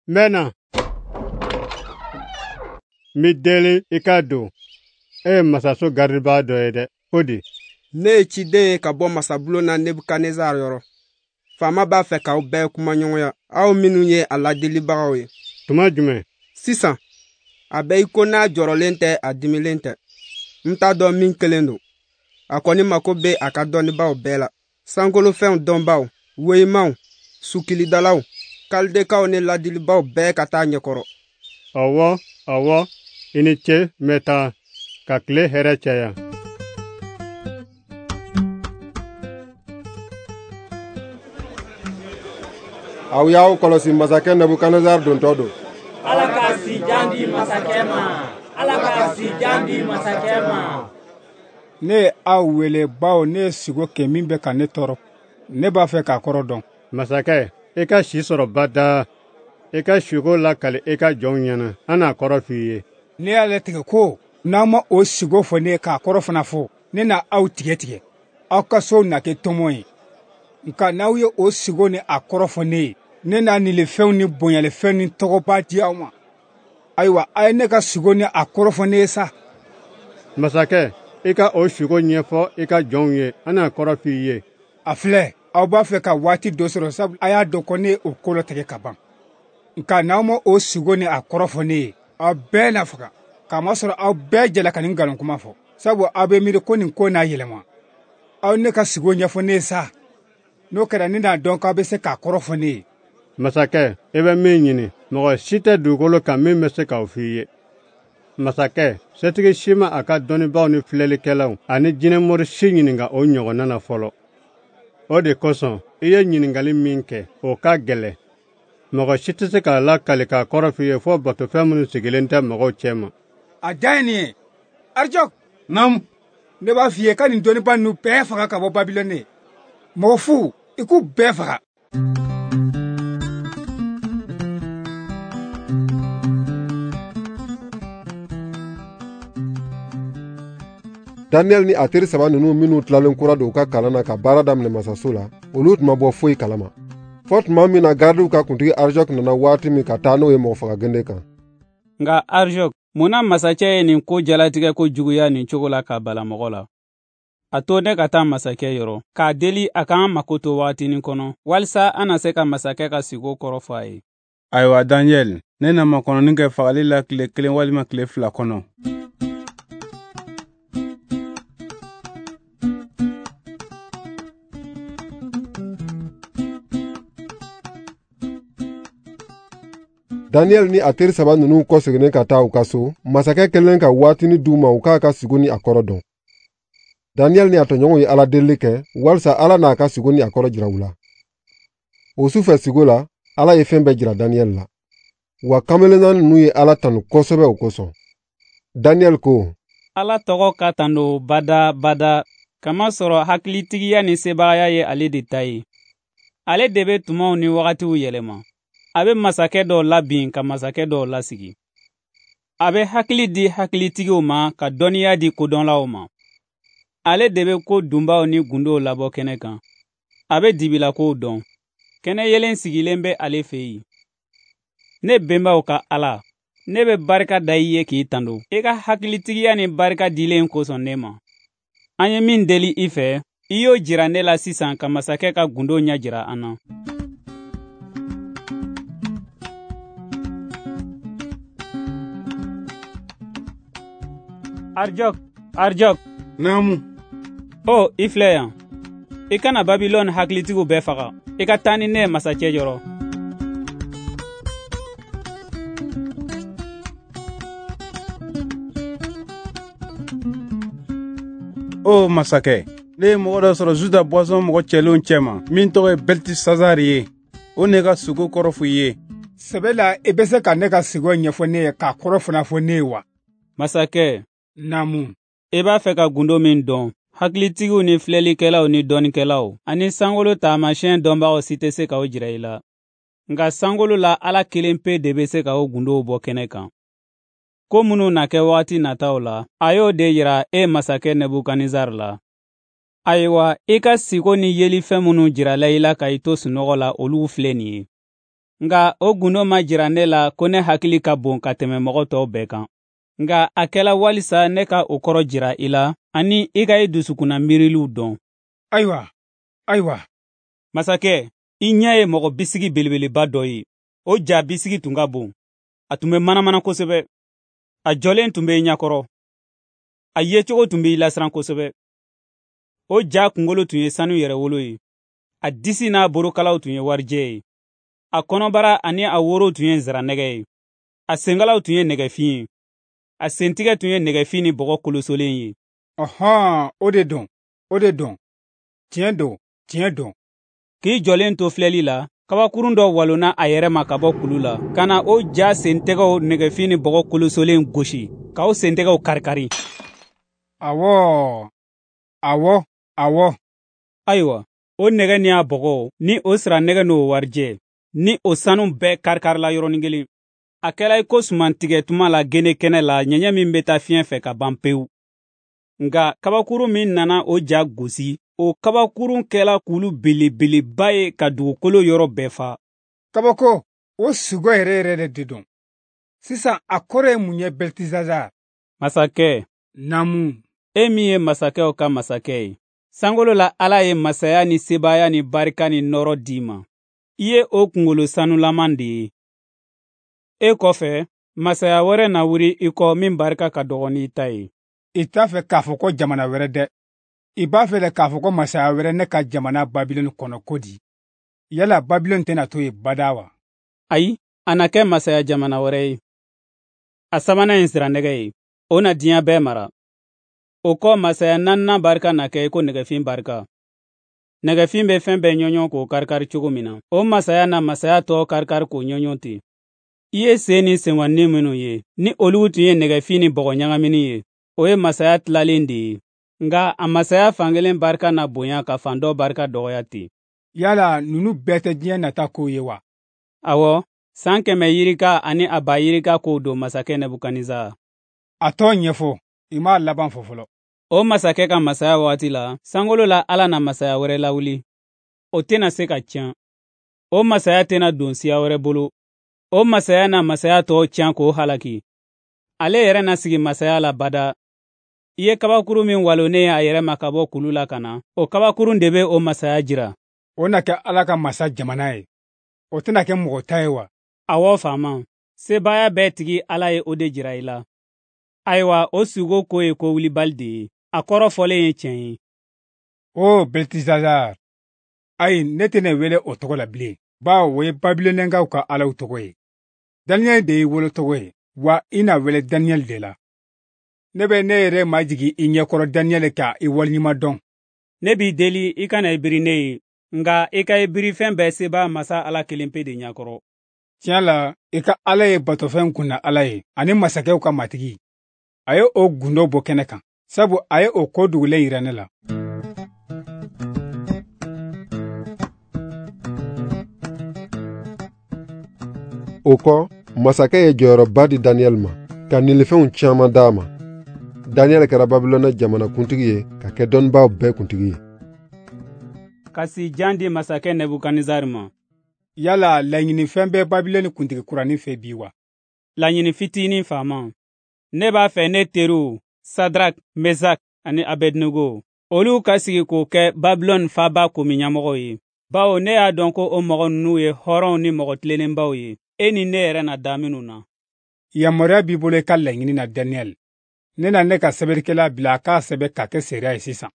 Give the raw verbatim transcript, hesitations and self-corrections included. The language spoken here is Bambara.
N bɛ na. N b'i deli i ka don. E ye masaso garidibaa dɔ ye dɛ, ko di? Ne ye ciden ye ka bɔ masabulon na Nebukadnezar yɔrɔ. Faama b'a fɛ k'aw bɛɛ kumaɲɔgɔnya, aw minnu ye a ladelibagaw ye. Tuma jumɛn? Sisan, a bɛ i ko n'a jɔrɔlen tɛ, a dimilen tɛ. N t'a dɔn min kelen don. A kɔni mako bɛ a ka dɔnnibaaw bɛɛ la, sankolofɛnw dɔnbaaw, weyimaw, sukilidalaw, kalidekaw ni ladilibaw bɛɛ ka taa ɲɛkɔrɔ. Ɔwɔ, ɔwɔ, i ni ce, n bɛ taa, ka tile hɛrɛ caya. Aw y'aw kɔlɔsi, masakɛ Nebukadnezar dontɔ don. Ala ka si jan di masakɛ ma. Ala ka si jan di masakɛ ma. Ne ye aw wele bawo ne ye sugo kɛ min bɛ ka ne tɔɔrɔ. Ne b'a fɛ k'a kɔrɔ dɔn. Masakɛ, i ka si sɔrɔ bada. I ka sugo lakali i ka jɔnw ɲɛna. An n'a kɔrɔ f'i ye. Ne y'a latigɛ ko n'aw ma o sugo fɔ ne ye k'a kɔrɔ fana fɔ, ne na aw tigɛ tigɛ. Aw ka sow na kɛ tɔmɔ ye. Nka n'aw ye o sugo ni a kɔrɔ fɔ ne ye, ne n'a nilifɛnw ni bonyalifɛnw ni tɔgɔba di aw ma. Ayiwa, a ye ne ka sugo ni a kɔrɔ fɔ ne ye sa. Masakɛ, i ka o sugo ɲɛfɔ i ka jɔnw ye, an n'a kɔrɔ f'i ye. A filɛ, aw b'a fɛ ka waati dɔ sɔrɔ, sabu a y'a dɔn ko ne ye o ko latigɛ ka ban. Nka n'aw ma o sugo ni a kɔrɔ fɔ ne ye, aw bɛɛ na faga, k'a masɔrɔ aw bɛɛ jɛla ka nin nkalon kuma fɔ, sabu aw bɛ miiri ko nin ko n'a yɛlɛma. Aw ne ka sugo ɲɛfɔ ne ye sa. N'o kɛra, ne n'a dɔn k'aw bɛ se k'a kɔrɔ fɔ ne ye. Masakɛ, i bɛ min ɲini, mɔgɔ si tɛ dugukolo kan min bɛ se k'o f'i ye. Masakɛ, setigi si ma a ka dɔnnibaaw ni filɛlikɛlaw ani jinɛmori si ɲininka o ɲɔgɔnna na fɔlɔ. O de kosɔn, i ye ɲininkali min kɛ, o ka gɛlɛn. Mɔgɔ si tɛ se k'a lakali k'a kɔrɔ f'i ye fɔ batofɛn minnu sigilen tɛ mɔgɔw cɛma. A dan ye nin ye. Arijɔk. Naamu. Ne b'a f'i ye ka nin dɔnnibaa ninnu bɛɛ faga ka bɔ Babilɔnɛ. Mɔgɔ fu, i k'u bɛɛ faga. Daniel ni a teri saba ninnu minnu tilalen kura don u ka kalan na ka baara daminɛ masaso la, olu tun ma bɔ foyi kalama. Fɔ tuma min na garidiw ka kuntigi Arijɔk nana waati min ka taa n'o ye mɔgɔfagagende kan. Nka Arijɔk, mun na masakɛ ye nin ko jalatigɛ ko juguya nin cogo la ka bala mɔgɔ la? A to ne ka taa masakɛ yɔrɔ, k'a deli a k'an mako to wagatinin kɔnɔ, walisa an na se ka masakɛ ka sigo kɔrɔ fɔ a ye. Ayiwa Daniel, ne na makɔnɔni kɛ fagali la tile kelen walima tile fila kɔnɔ. Daniel ni a teri saba ninnu kɔseginnen ka taa u ka so, masakɛ kɛlen ka waatinin d'u ma u k'a ka sigo ni a kɔrɔ dɔn. Daniel ni a tɔɲɔgɔnw ye Ala delili kɛ walisa Ala n'a ka sigo ni a kɔrɔ jira u la. O sufɛ sigo la, Ala ye fɛn bɛɛ jira Daniel la. Wa kamelenna ninnu ye Ala tanu kosɛbɛ o kosɔn. Daniel ko: Ala tɔgɔ ka tanu bada bada, kamasɔrɔ hakilitigiya ni sebagaya ye ale de ta ye. Ale de bɛ tumaw ni wagatiw yɛlɛma. A bɛ masakɛ dɔw labin ka masakɛ dɔw lasigi. A bɛ hakili di hakilitigiw ma ka dɔnniya di kodɔnlaw ma. Ale de bɛ ko dunbaw ni gundow labɔ kɛnɛ kan. A bɛ dibilakow dɔn. Kɛnɛ yelen sigilen bɛ ale fɛ yen. Ne bɛnbaw ka Ala, ne bɛ barika da i ye k'i tando. I ka hakilitigiya ni barika dilen kosɔn ne ma. An ye min deli i fɛ, i y'o jira ne la sisan ka masakɛ ka gundo ɲɛ jira an na. Arijɔk, Arijɔk. Naamu. O, i filɛ yan. I kana Babilɔn hakilitigiw bɛɛ faga. I ka taa ni ne ye masakɛ yɔrɔ. O masakɛ, ne ye mɔgɔ dɔ sɔrɔ Juda bɔnsɔn mɔgɔ cɛlenw cɛma min tɔgɔ ye Beltisazar ye. O ne ka sugo kɔrɔ fɔ i ye. Sɛbɛ la, i bɛ se ka ne ka sugo ɲɛfɔ ne ye k'a kɔrɔ fana fɔ ne ye wa? Masakɛ. Naamu. I b'a fɛ ka gundo min dɔn, hakilitigiw ni filɛlikɛlaw ni dɔnnikɛlaw ani sankolo taamasiyɛn dɔnbagaw si tɛ se k'o jira i la. Nka sankolo la Ala kelen pe de bɛ se ka o gundow bɔ kɛnɛ kan. Ko minnu na kɛ wagati nataw la, a y'o de jira e masakɛ Nebukadnezar la. Ayiwa, i ka siko ni yelifɛn minnu jirala i la ka i to sunɔgɔ la, olu filɛ nin ye. Nka o gundo ma jira ne la ko ne hakili ka bon ka tɛmɛ mɔgɔ tɔw bɛɛ kan. Nka a kɛla walisa ne ka o kɔrɔ jira i la, ani i ka i dusukunna miiriliw dɔn. Ayiwa, ayiwa. Masakɛ, i ɲɛ ye mɔgɔ bisigi belebeleba dɔ ye. O ja bisigi tun ka bon. A tun bɛ manamana kosɛbɛ. A jɔlen tun bɛ i ɲɛkɔrɔ. A yecogo tun bɛ i lasiran kosɛbɛ. O ja kunkolo tun ye sanu yɛrɛwolo ye. A disi n'a borokalaw tun ye warijɛ ye. A kɔnɔbara ani a woro tun ye nsiranɛgɛ ye. A senkalaw tun ye nɛgɛfin ye. A sentigɛ tun ye nɛgɛfin ni bɔgɔ kolosolen ye. Ɔhɔn, o de don, o de don. Tiɲɛ don, tiɲɛ don. K'i jɔlen to filɛli la, kabakurun dɔ walonna a yɛrɛ ma ka bɔ kulu la, ka na o ja sentɛgɛw nɛgɛfin ni bɔgɔ kolosolen gosi, k'aw sentɛgɛw karikari. Awɔ, awɔ, awɔ. Ayiwa, o nɛgɛ ni a bɔgɔ, ni o siranɛgɛ n'o warijɛ, ni o sanu bɛɛ karikarila yɔrɔnin kelen. A kɛla i ko sumantigɛ tuma la gene kɛnɛ la, ɲɛɲɛ min bɛ taa fiɲɛ fɛ ka ban pewu. Nka kabakurun min nana o ja gosi, o kabakurun kɛla kulu belebeleba ye ka dugukolo yɔrɔ bɛɛ fa. Kabako, o sugo yɛrɛ yɛrɛ de don. Sisan a kɔrɔ ye mun ye Beltesazar? Masakɛ. Naamu. E min ye masakɛw ka masakɛ ye, sankolo la Ala ye masaya ni sebaaya ni barika ni nɔɔrɔ d'i ma. I ye o kunkolo sanulaman de ye. E kɔfɛ, masaya wɛrɛ na wuli i kɔ min barika ka dɔgɔ n'i ta ye. I t'a fɛ k'a fɔ ko jamana wɛrɛ dɛ. I b'a fɛ de k'a fɔ ko masaya wɛrɛ ne ka jamana Babilɔni kɔnɔ ko di? Yala Babilɔni tɛna to yen bada wa? Ayi, a na kɛ masaya jamana wɛrɛ ye. A sabanan ye nsiranɛgɛ ye. O na diɲɛ bɛɛ mara. O kɔ masaya naaninan barika na kɛ i ko nɛgɛfin barika. Nɛgɛfin bɛ fɛn bɛɛ ɲɔɲɔ k'o karikari cogo min na, o masaya na masaya tɔ karikari k'o ɲɔɲɔ ten. I ye sen ni senkɔnni minnu ye, ni olu tun ye nɛgɛfin ni bɔgɔ ɲagamini ye, o ye masaya tilalen de ye. Nka a masaya fankelen barika na bonya ka fan dɔ barika dɔgɔya ten. Yala ninnu bɛɛ tɛ diɲɛ nata kow ye wa? Awɔ, san kɛmɛ yirika ani a ba yirika kow don masakɛ Nebukadnezar. A tɔ ɲɛfɔ, i m'a laban fɔ fɔlɔ. O masakɛ ka masaya waati la, sankolo la Ala na masaya wɛrɛ lawuli. O tɛna se ka tiɲɛ. O masaya tɛna don siya wɛrɛ bolo. O masaya na masaya tɔw tiɲɛ k'o halaki. Ale yɛrɛ na sigi masaya la bada. I ye kabakurun min walonnen ye a yɛrɛ ma ka bɔ kulu la ka na, o kabakurun de bɛ o masaya jira. O na kɛ Ala ka masa jamana ye. O tɛna kɛ mɔgɔ ta ye wa? Awɔ faama, sebaaya bɛɛ tigi Ala ye o de jira i la. Ayiwa, o sugo ko ye ko wulibali de ye. A kɔrɔ fɔlen ye tiɲɛ ye. O Beltesazar, ayi ne tɛna wele o tɔgɔ la bilen, bawo o ye Babilonɛkaw ka alaw tɔgɔ ye. Daniyɛli de y'i wolo tɔgɔ ye, wa i na wele Daniyɛli de la. Ne bɛ ne yɛrɛ majigin i ɲɛkɔrɔ Daniyɛli ka i waleɲuman dɔn. Ne b'i deli i kana i biri ne ye, nka i ka i biri fɛn bɛɛ sebaa masa Ala kelen pe de ɲɛkɔrɔ. Tiɲɛ la, i ka Ala ye batofɛn kunna Ala ye, ani masakɛw ka matigi. A ye o gundo bɔ kɛnɛ kan, sabu a ye o ko dogolen yira ne la. O kɔ, masakɛ ye jɔyɔrɔba di Daniyɛli ma, ka nilifɛnw caman d'a ma. Daniyɛli kɛra Babilɔnɛ jamana kuntigi ye ka kɛ dɔnnibaaw bɛɛ kuntigi ye. Ka si jan di masakɛ Nebukadnezar ma. Yala laɲinifɛn bɛ Babilɔni kuntigi kuranin fɛ bi wa? Laɲini fitinin faama. Ne b'a fɛ ne teriw Sadrak, Mesak ani Abednego, olu ka sigi k'o kɛ Babilɔni faaba komi ɲɛmɔgɔw ye. Bawo ne y'a dɔn ko o mɔgɔ ninnu ye hɔrɔnw ni mɔgɔ tilennenbaw ye, e ni ne yɛrɛ na da minnu na. Yamaruya b'i bolo i ka laɲini na Daniyɛli. Ne na ne ka sɛbɛnnikɛla bila a k'a sɛbɛn k'a kɛ seereya ye sisan.